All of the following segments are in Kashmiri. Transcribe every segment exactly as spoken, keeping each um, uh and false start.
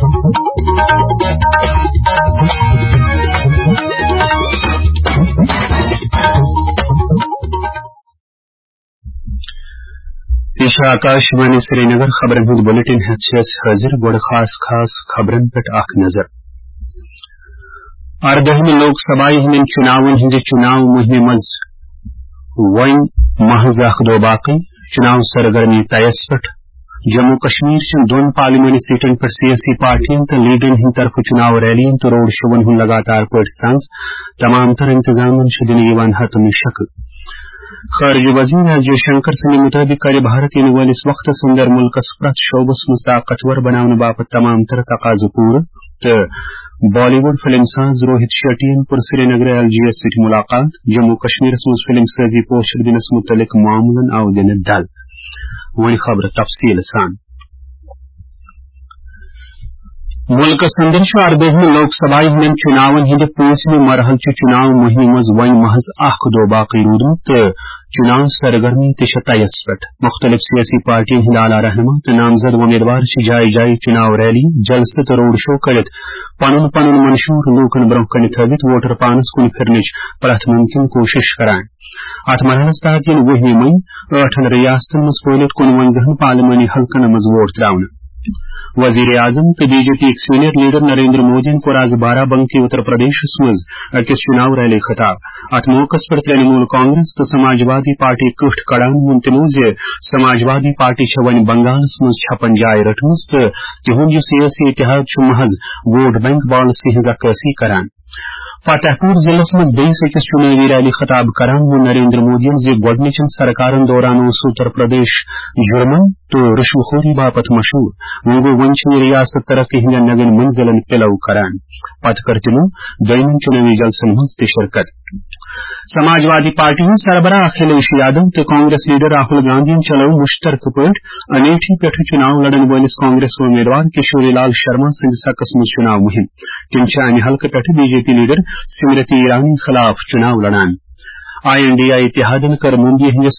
یہِ چھُ آکاشوانی سرینگر۔ خبرن ہُنٛد بلیٹن ہٮ۪تھ چھِ أسۍ حٲضِر۔ گۄڈٕ خاص خاص خبرن پٮ۪ٹھ اکھ نظر۔ اردٲہمہِ لوک سبھایہِ ہٕنٛدٮ۪ن چُناون ہٕنٛزِ چُناو مُہِمہِ منٛز وۄنۍ محض اکھ دۄہ باقٕے، چُناو سرگرمی طیس پٮ۪ٹھ۔ جموں کشمیر چٮ۪ن دۄن پارلیمانی سیٹن پٮ۪ٹھ سیٲسی پارٹین تہٕ لیڈرن ہٕنٛدِ طرفہٕ چُناو ریلین تہٕ روڈ شوون ہُنٛد لگاتار پٲٹھۍ سنز۔ تمام تر انتظامن چھُ دِنہٕ یِوان حتمی شکل۔ خارجہ وزیر ایس جے شنکر سٕنٛدِ مُطٲبِق کرِ بھارت یِنہٕ وٲلِس وقتس اندر مُلکس پرٛٮ۪تھ شعبس منٛز طاقتور بناونہٕ باپتھ تمام تر تقاضہٕ پوٗرٕ تہٕ بالی وُڈ فلم ساز روہت شیٹین کوٚر سرینگرٕ ایل جی یس سۭتۍ مُلاقات۔ جموں کشمیرس منٛز فلم سٲزی پوسٹر دِنس مُتعلق معاملن آو دِنہٕ ڈل۔ وۄنۍ خبرٕ تفصیٖل سان۔ مُلکس اندر چھُ اردٲہمہِ لوک سبھایہِ ہٕنٛدٮ۪ن چُناون ہٕنٛدِ پٲنٛژمہِ مرحلہٕ چہِ چُناو مُہِمہِ منٛز وۄنۍ محض اکھ دۄہ باقٕے روٗدمُت تہٕ چُناو سرگرمی تہِ چھےٚ طیس پٮ۪ٹھ۔ مُختٔلِف سیٲسی پارٹیَن ہٕنٛدۍ اعلیٰ رہنما تہٕ نامزد وۄمیدوار چھِ جایہِ جایہِ چُناو ریلی، جلسہٕ تہٕ روڈ شو کٔرِتھ پنُن پنُن منشور لوٗکَن برٛونٛہہ کَنہِ تھٲوِتھ ووٹر پانَس کُن پھِرنٕچ پرٛٮ۪تھ مُمکِن کوٗشِش کران۔ اَتھ مرحلَس تحت یِن وُہمہِ مئی ٲٹھن ریاستَن منٛز پھٲلِتھ کُنوَنزاہَن پارلیمانی حلقَن منٛز ووٹ ترٛاونہٕ۔ وزیر اعظم تہٕ بی جے پی یِکۍ سینئر لیڈر نریندر مودیَن کوٚر آز بارہ بنکی اتر پردیشس منٛز أکِس چُناو ریلی خطاب۔ اَتھ موقعس پٮ۪ٹھ ترٛنمول کانگریس تہٕ سماجوادی پارٹی کٔٹھۍ کڑان ووٚن تِمو زِ سماجوادی پارٹی چھےٚ وۄنۍ بنگالس منٛز چھپن جاے رٔٹمٕژ تہٕ تِہُنٛد یہِ سیٲسی اتحاد چھُ محض ووٹ بینک پالیسی ہٕنٛز عکٲسی کران۔ فتح پور ضلعس منٛز بیٚیِس أکِس چُنٲوی ریلی خطاب کران ووٚن نریندر مودیَن زِ گۄڈٕنِچن سرکارن دوران اوس اتر پردیش جُرمن تہٕ رُشوٕ خوری باپتھ مشہوٗر۔ وۄنۍ گوٚو، وۄنۍ چھِ یہِ ریاست ترقی ہٕنٛدٮ۪ن نوٮ۪ن منزلن پِلو کران۔ پتہٕ کٔر تِمو دوٚیمٮ۪ن چُنٲوی جلسن منٛز تہِ شرکت۔ سماجوادی پارٹی ہٕنٛدۍ سربراہ اکھلیش یادو تہٕ کانگریس لیڈر راہل گاندھین چلٲو مُشترکہٕ پٲٹھۍ امیٹھی پٮ۪ٹھٕ چُناو لڑن وٲلِس کانگریس امیدوار کشوری لال شرما سٕنٛدِس حقس منٛز چُناو مُہِم۔ تِم چھِ امہِ حلقہٕ پٮ۪ٹھٕ B J P leader Smriti Irani خلاف چُناو لڑان۔ آئی این ڈی آئی اتحادن کٔر ممبئی ہٕنٛدِس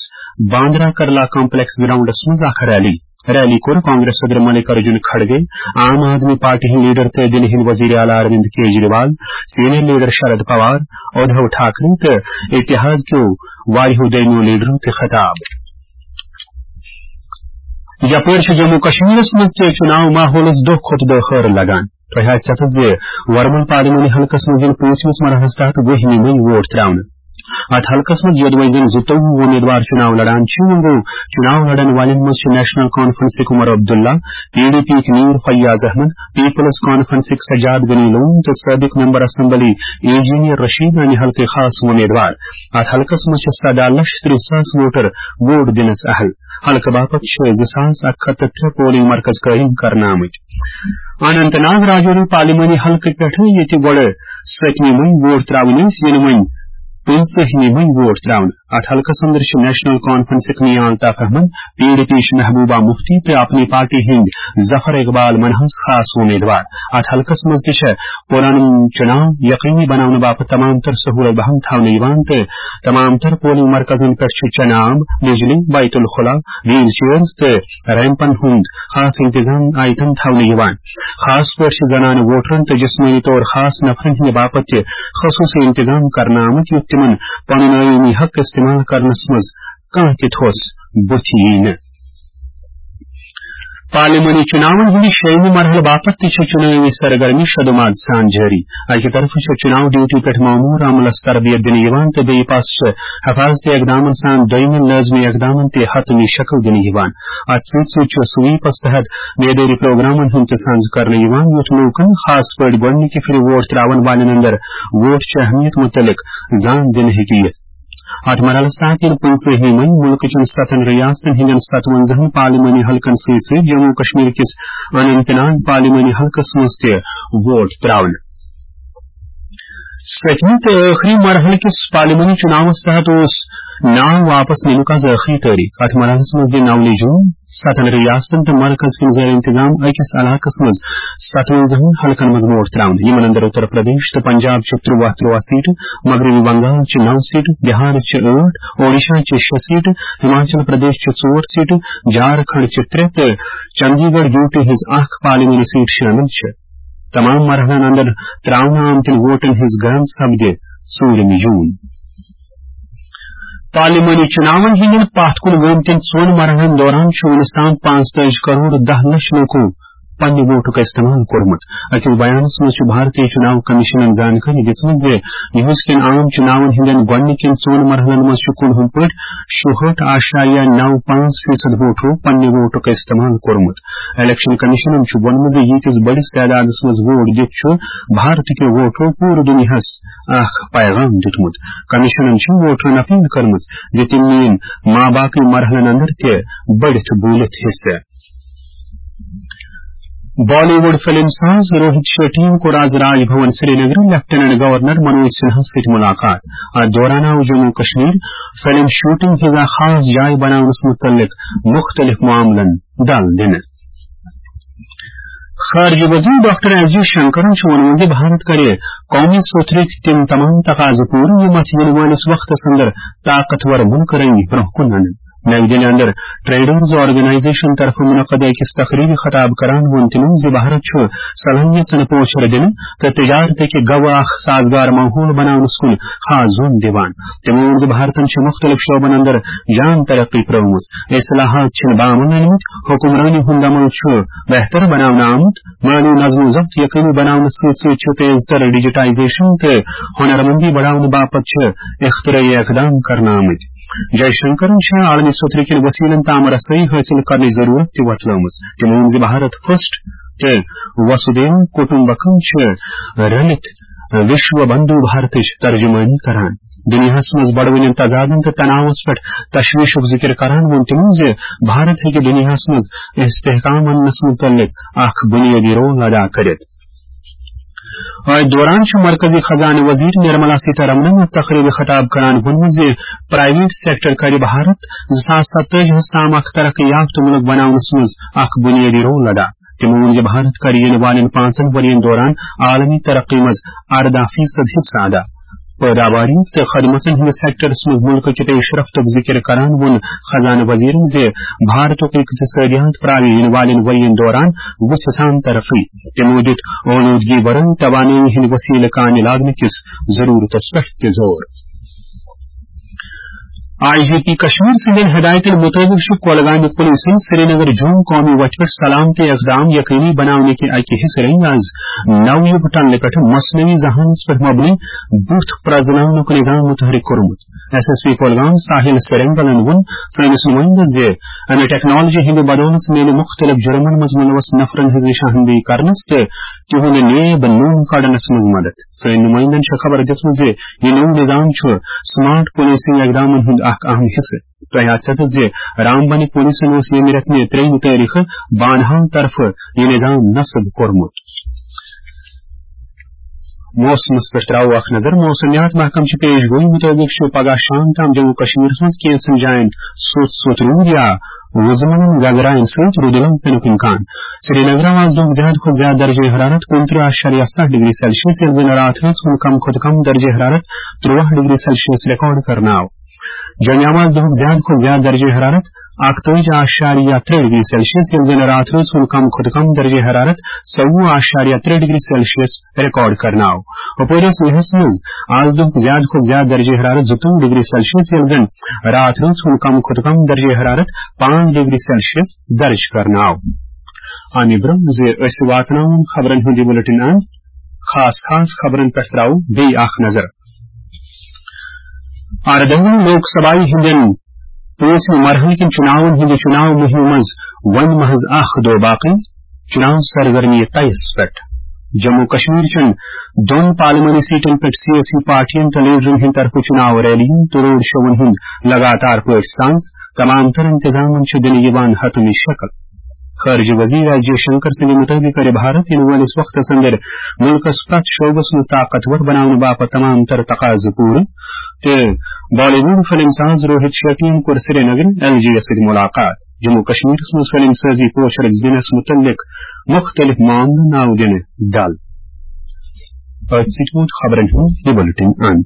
باندرا کرلا کمپلیکس گراؤنڈس منٛز اکھ ریلی۔ ریلی کوٚر کانگریس صدر ملک ارجن کھڑگے، عام آدمی پارٹی ہٕنٛدۍ لیڈر تہٕ دِلہِ ہٕنٛدۍ وزیر اعلیٰ اروند کیجریوال، سینئر لیڈر شرد پوار، ادھو ٹھاکرے تہٕ اتحاد کیو واریاہو دوٚیمِیو لیڈرو تہِ خطاب۔ یپٲرۍ چھُ جموں کشمیرس منٛز تہِ چُناو ماحولس دۄہ کھۄتہٕ دۄہ ہٲرٕ لگان۔ تۄہہِ آسہِ پتہ زِ ورمُل پارلیمانی حلقس منٛز یِن پوٗنٛژمِس مرحلس تحت وُہمہِ مئی ووٹ ترٛاونہٕ۔ اتھ حلقس منٛز یوٚدوَے زن زٕتووُہ وۄمیدوار چُناو لڑان چھِ، وۄنۍ گوٚو، چُناو لڑن والٮ۪ن منٛز چھِ national کانفرنسٕکۍ Omar Abdullah, P D P یِکۍ میٖر فیاض احمد، پیپلز کانفرنسٕکۍ سجاد غنی لون تہٕ سٲبق ممبر اسمبلی انجینئر رشید امہِ حلقٕکۍ خاص وۄمیدوار۔ اتھ حلقس منٛز چھِ سداہ لچھ ترٕٛہ ساس ووٹر ووٹ دِنس اہل۔ حلقہٕ باپتھ چھِ زٕ ساس اکھ ہتھ تہٕ ترٛےٚ پولنگ مرکز قٲیِم کرنہٕ آمٕتۍ۔ اننت ناگ راجوری پارلیمانی حلقہٕ پٮ۪ٹھٕ، ییٚتہِ گۄڈٕ سٔتمہِ مئی ووٹ ترٛاوٕنۍ ٲسۍ، یِنہٕ وۄنۍ پٕنٛژٕہمہِ مئی ووٹ ترٛاونہٕ۔ اتھ حلقس اندر چھِ نیشنل کانفرنسٕکۍ Mian Altaf Ahmad, P D P یِچ محبوبہ مفتی تہٕ اپنی پارٹی ہٕنٛدۍ ظفر اقبال منہاز خاص وۄمیدوار۔ اتھ حلقس منٛز تہِ چھےٚ پُرامن چُناو یقینی بناونہٕ باپتھ تمام تر سہولت بہم تھاونہٕ یِوان تہٕ تمام تر پولنگ مرکزن پٮ۪ٹھ چھُ چنہٕ آب، بجلی، بیت الخلا، ویل چیئرز تہٕ ریمپن ہُنٛد خاص انتظام آیتن تھاونہٕ یِوان۔ خاص پٲٹھۍ چھِ زنانہٕ ووٹرن تہٕ جسمٲنی طور خاص نفرن ہٕنٛدِ باپتھ تہِ خصوٗصی انتظام کرنہٕ آمٕتۍ، یُتھ تِمن پنُن آئینی حق استعمال کرنس منٛز کانٛہہ تہِ تھوٚس بُتھِ یِیہِ نہٕ۔ پارلیمانی چُناون ہٕنٛدِ شیٚیِمہِ مرحلہٕ باپتھ تہِ چھےٚ چُنٲوی سرگرمی شدوماد سان جٲری۔ اکہِ طرفہٕ چھےٚ چُناو ڈیوٹی پٮ۪ٹھ مامور عملس تربیت دِنہٕ یِوان تہٕ بیٚیہِ پاسہٕ چھِ حفاظتی اقدامن سان دوٚیمٮ۪ن لٲزمی اقدامن تہِ حتمی شکل دِنہٕ یِوان۔ اتھ سۭتۍ سۭتۍ چھُ سویپس تحت بیدٲری پروگرامن ہُنٛد تہِ سنز کرنہٕ یِوان، یُتھ لوٗکن، خاص پٲٹھۍ گۄڈٕنِکہِ پھِرِ ووٹ ترٛاون والٮ۪ن اندر ووٹ چہِ اہمیت مُتعلق زان دِنہٕ ہیٚکہِ یِتھ۔ اتھ مرحلس تحت یِن پٕنٛژٕہمہِ مئی مُلکہٕ چٮ۪ن ستن ریاستن ہٕنٛدٮ۪ن ستونزاہن پارلیمانی حلقن سۭتۍ سۭتۍ جموں کشمیر کِس اننت ناگ پارلیمانی حلقس منٛز تہِ ووٹ ترٛاونہٕ۔ سٔتمہِ تہٕ ٲخری مرحلہٕ کِس پارلیمانی چُناوس تحت اوس ناو واپس نِنُک از ٲخری تٲریخ۔ اتھ مرحلس منٛز یِن نولہِ جون ستن ریاستن تہٕ مرکز کٮ۪ن زیر انتظام أکِس علاقس منٛز ستونزاہن حلقن منٛز ووٹ تراونہٕ۔ یِمن اندر اتر پردیش تہٕ پنجاب چہِ ترٛواہ ترٛواہ سیٹہٕ، مغربی بنگال چہِ نو سیٹہٕ، بہار چہِ ٲٹھ، اوڈیشہ چہِ شےٚ سیٹہٕ، ہماچل پردیش چہِ ژور سیٹہٕ، جھارکھنڈ چہِ ترٛےٚ تہٕ چندی گڑھ یو ٹی ہٕنٛز اکھ پارلیمانی سیٹ شٲمِل چھِ۔ تمام مرحلن اندر تراونہٕ آمتٮ۪ن ووٹن ہٕنٛز گنتی سپدِ ژوٗرِمہِ جون۔ پارلیمانی چُناون ہٕنٛدٮ۪ن پتھ کُن گٲمتٮ۪ن ژۄن مرحلن دوران چھُ وُنیُس تام پانٛژتٲجی کرور دَہ لچھ لوٗکو پننہِ ووٹُک استعمال کوٚرمُت۔ أکِس بیانس منٛز چھُ بھارتی چُناو کمیشنن زانکٲری دِژمٕژ زِ یِہُس کٮ۪ن عام چُناون ہٕنٛدٮ۪ن گۄڈٕنِکٮ۪ن ژۄن مرحلن منٛز چھُ کُل ہُم پٲٹھۍ شُہٲٹھ اعشاریہ نو پانٛژھ فیصد ووٹرو پننہِ ووٹُک استعمال کوٚرمُت۔ الیکشن کمیشنن چھُ ووٚنمُت زِ ییٖتِس بٔڑِس تعدادس منٛز ووٹ دِتھ چھُ بھارت کیو ووٹرو پوٗرٕ دُنیاہس اکھ پیغام دیُتمُت۔ کمیشنن چھِ ووٹرن اپیل کٔرمٕژ زِ تِم نِیِن ما باقٕے مرحلن اندر تہِ بٔڑِتھ بوٗلِتھ حصہٕ۔ بالی ووڈ فلم ساز روہت شیٹی یَن کوٚر آز راج بھون سرینگر لیفٹیننٹ گورنر منوج سنہاہَس سۭتۍ ملاقات۔ اتھ دوران آو جموں کشمیر فلم شوٹنگ ہٕنٛز اکھ خاص جاے بناونس متعلق مختلف معاملن دل دِنہٕ۔ خارجہ وزیر ڈاکٹر ایس جے شنکرن چھُ ووٚنمُت زِ بھارت کرِ قومی سوتھرٕکۍ تِم تمام تقاضہٕ پوٗرٕ یِم اتھ یِنہٕ وٲلِس وقتس اندر طاقتور مُلکہٕ رٔنگۍ برونٛہہ کُن انن۔ نئی دِلہِ اندر ٹریڈرز آرگنائزیشن طرفہٕ منعقد أکِس تقریبہِ خطاب کران ووٚن تِمو زِ بھارت چھُ صلاحیژن پوچھر دِنہٕ تہٕ تجارتٕکہِ گوٚو اکھ سازگار ماحول بناونس کُن خاص زور دِوان۔ تِمو ووٚن زِ بھارتن چھِ مُختٔلِف شعبن اندر جان ترقی پرٲومٕژ۔ اصلاحات چھِنہٕ بامُل أنمٕتۍ، حکمرٲنی ہُنٛد عمل چھُ بہتر بناونہٕ آمُت، مٲلی نظم و ضبط یقینی بناونس سۭتۍ سۭتۍ چھُ تیز تر ڈیجیٹائزیشن تہٕ ہنرمندی بڑاونہٕ باپتھ چھِ اختراعی اقدام کرنہٕ آمٕتۍ۔ جے شنکرن چھِ عالمی سوتھرٕ کٮ۪ن وسیلن تام رسٲیی حٲصِل کرنٕچ ضروٗرت تہِ وۄتلٲومٕژ۔ تٔمۍ ووٚن زِ بھارت فرسٹ تہٕ وسودھیو کٹمبکم چھِ رٔلِتھ وشو بندھو بھارتٕچ ترجمٲنی کران۔ دُنیاہَس منٛز بڑوٕنٮ۪ن تضادن تہٕ تناوس پٮ۪ٹھ تشویشُک ذکر کران ووٚن تٔمۍ زِ بھارت ہیٚکہِ دُنیاہَس منٛز استحکام اننس متعلق اکھ بنیٲدی رول ادا کٔرِتھ۔ اتھ دوران چھُ مرکزی خزانہٕ وزیر نرملا سیتارمنن اتھ تقریبہِ خطاب کران ووٚنمُت زِ پرائیویٹ سیکٹر کرِ بھارت زٕ ساس ستٲجی ہَس تام اکھ ترقی یافتہٕ مُلک بناونس منٛز اکھ بنیٲدی رول ادا۔ تٔمۍ ووٚن زِ بھارت کرِ یِنہٕ والٮ۪ن پانٛژن ؤرین دوران عالمی ترقی منٛز ارداہ فیصد حصہٕ ادا۔ پٲداواری تہٕ خدمتن ہٕنٛدِس سیکٹرس منٛز مُلکہٕ کہِ پیش رفتُک ذِکِر کران ووٚن خزانہٕ وزیرن زِ بھارتُک اقتصٲدیات پراوِ یِنہٕ والٮ۪ن ؤرین دوران وُژھِ سان ترقی۔ تِمو دیُت اولوٗدگی ورٲے توانٲیی ہٕنٛدۍ وسیلہٕ کامہِ لاگنہٕ کِس ضروٗرتس پٮ۪ٹھ تہِ زور۔ آئی جی پی کشمیر سٕنٛدٮ۪ن ہدایتن مُطٲبِق چھُ کۄلگامہِ پُلیٖسن سرینگر جوم قومی وتہِ پٮ۪ٹھ سلامتی اقدام یقینی بناونہٕ کہِ اکہِ حصہٕ رٔنگۍ آز نو یُب ٹنلہِ پٮ۪ٹھ مصنوعی ذہانس پٮ۪ٹھ مبنی بُتھ پرزناونُک نظام متحرک کوٚرمُت۔ ایس ایس پی کۄلگام ساحل سرینگلن ووٚن سٲنِس نُمٲیندَس زِ امہِ ٹیکنالوجی ہٕنٛدِ بدولہٕ میلہِ مُختٔلِف جُرمن منٛز مُلوث نفرن ہٕنٛز نشاندہی کرنس تہٕ تِہُنٛد نیب نوٚن کڑنس منٛز مدد۔ سٲنۍ نُمٲیندَن چھےٚ خبر دِژمٕژ زِ یہِ نوٚو نظام چھُ سمارٹ پولیسنگ اقدامن ہُنٛد اکھ اہم حصہٕ۔ تۄہہِ آسہِ پَتہ زِ رامبنی پولیسن اوس ییٚمہِ رٮ۪تہٕ مے ترٛیٚیِمہِ تٲریخہٕ بانہال طرفہٕ یہِ نظام نصب کوٚرمُت۔ موسمس پٮ۪ٹھ ترٛاوو اکھ نظر۔ موسمیات محکمہٕ چہِ پیش گویی مُطٲبِق چھُ پگاہ شام تام جموں کشمیرس منٛز کینٛژن جاین سوٚت سوٚت روٗد یا وُزمٕلٮ۪ن گگراین سۭتۍ روٗدٕ لٲر پینُک امکان۔ سرینگرٕ آز دۄہُک زیادٕ کھۄتہٕ زیادٕ درجہ حرارت کُنترٕہ اعشاریہ ستھ ڈگری سیلسیس، ییٚلہِ زن راتھ ہٕنٛز کُن کھۄتہٕ کم درجہ حرارت ترٛواہ ڈگری سیلسیس ریکارڈ کرنہٕ آو۔ جوٚمہِ آو آز دۄہُک زیادٕ کھۄتہٕ زیادٕ درجہ حرارت اکتٲجی اعشاریہ ترٛےٚ ڈگری سیلسیس، ییٚلہِ زن راتھ ہٕنٛز کُن کم کھۄتہٕ کم درجہ حرارت ژوٚوُہ اعشاریہ ترٛےٚ ڈگری سیلسیس ریکارڈ کرنہٕ آو۔ ہُپٲرۍ ٲس لیہس منٛز آز دۄہُک زیادٕ کھۄتہٕ زیادٕ درجہ حرارت زٕتووُہ ڈگری سیلسیس، ییٚلہِ زن راتھ ہٕنٛز کُن کم کھۄتہٕ کم درجہ حرارت پانٛژھ ڈگری سیلسیس درج کرنہٕ آو۔ اَمہِ برٛونٛہہ زِ أسۍ واتناوون خبرن ہُنٛد یہِ بُلٹن اند، خاص خاص خبرن پٮ۪ٹھ ترٛاوو بیٚیہِ اکھ نظر۔ اردٲہمہِ لوک سبھایہ ہٕنٛدٮ۪ن پانٛژمہِ مرحلہٕ کٮ۪ن چُناون ہٕنٛدِ چُناو مُہِمہِ منٛز وۄنۍ محض اکھ دۄہ باقٕے، چُناو سرگرمی طیس پٮ۪ٹھ۔ جموں کشمیر چٮ۪ن دۄن پارلیمانی سیٹن پٮ۪ٹھ سیٲسی پارٹین تہٕ لیڈرن ہٕنٛدِ طرفہٕ چُناو ریلیَن تہٕ روڈ شوون ہُنٛد لگاتار پٲٹھۍ ساز، تمام تر انتظامن چھِ دِنہٕ یِوان حتمی شکل۔ خارجہ وزیر ایس جے شنکر سٕنٛدِ مُطٲبِق کَرِ بھارت یِنہٕ وٲلِس وقتس اندر مُلکس پرٛٮ۪تھ شعبس منٛز طاقتور بناونہٕ باپتھ تمام تر تقاضہٕ پوٗرٕ۔ تہٕ بالی وُڈ فلم ساز روہت شیٹین کوٚر سرینگرٕ ایل جی یس سۭتۍ ملاقات۔ جموں کشمیرس منٛز فلم سازی پوچھرس دِنس متعلق مختلف معاملہٕ ناو دِنہٕ ڈل۔ أتھۍ سۭتۍ ووت خبرن ہُنٛد یہِ بُلٹن اند۔